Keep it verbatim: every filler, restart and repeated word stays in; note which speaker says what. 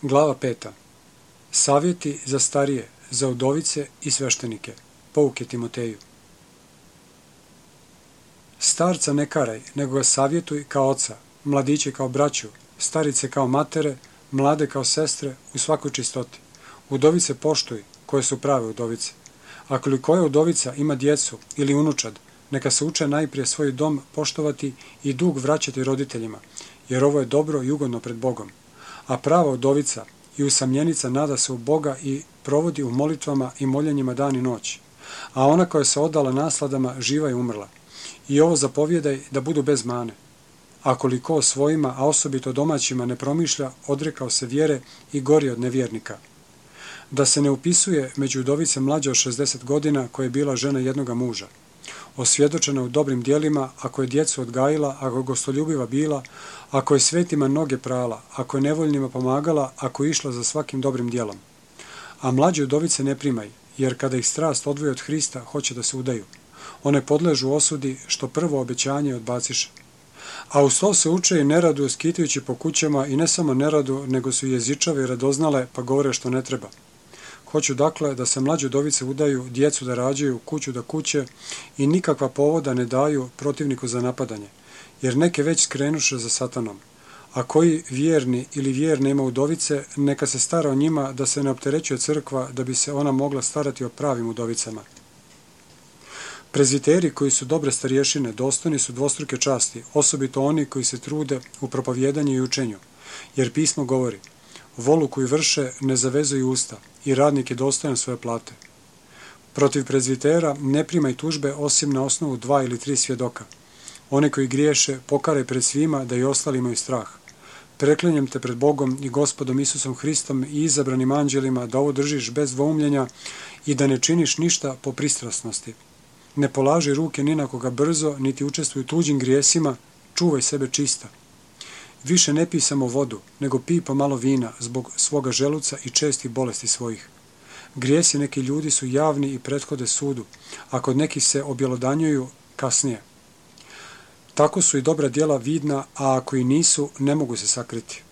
Speaker 1: Glava peta. Savjeti za starije, za udovice i sveštenike. Pouke Timoteju. Starca ne karaj, nego ga savjetuj kao oca, mladiće kao braću, starice kao matere, mlade kao sestre u svakoj čistoti. Udovice poštuj, koje su prave udovice. Ako li koja udovica ima djecu ili unučad, neka se uče najprije svoj dom poštovati i dug vraćati roditeljima, jer ovo je dobro i ugodno pred Bogom. A prava udovica i usamljenica nada se u Boga i provodi u molitvama i moljenjima dan i noć. A ona koja se odala nasladama živa i umrla. I ovo zapovjedaj da budu bez mane. Ako li ko svojima, a osobito domaćima, ne promišlja, odrekao se vjere i gori od nevjernika. Da se ne upisuje među udovice mlađe od šezdeset godina koja je bila žena jednoga muža. Osvjedočena u dobrim djelima, ako je djecu odgajila, ako je gostoljubiva bila, ako je svetima noge prala, ako je nevoljnima pomagala, ako je išla za svakim dobrim djelom. A mlađe udovice ne primaj, jer kada ih strast odvoji od Hrista, hoće da se udaju. One podležu osudi što prvo obećanje odbaciše. A uz to se uče i neradu skitajući po kućama i ne samo neradu, nego su jezičave i radoznale pa govore što ne treba. Hoću dakle da se mlađe udovice udaju, djecu da rađaju, kuću da kuće i nikakva povoda ne daju protivniku za napadanje, jer neke već skrenuše za satanom. A koji vjerni ili vjerne ima udovice, neka se stara o njima da se ne opterećuje crkva da bi se ona mogla starati o pravim udovicama. Prezviteri koji su dobre starješine dostojni su dvostruke časti, osobito oni koji se trude u propovjedanju i učenju, jer pismo govori: volu koju vrše ne zavezuju usta i radnik je dostojan svoje plate. Protiv prezvitera ne primaj tužbe osim na osnovu dva ili tri svjedoka. One koji griješe pokaraj pred svima da i ostali imaju strah. Preklinjem te pred Bogom i Gospodom Isusom Hristom i izabranim anđelima da ovo držiš bez dvoumljenja i da ne činiš ništa po pristrasnosti. Ne polaži ruke ni na koga brzo, niti učestvuj u tuđim grijesima, čuvaj sebe čista. Više ne pij samo vodu, nego pij pomalo vina zbog svoga želuca i čestih bolesti svojih. Grijesi neki ljudi su javni i prethode sudu, a kod nekih se objelodanjuju kasnije. Tako su i dobra djela vidna, a ako i nisu, ne mogu se sakriti.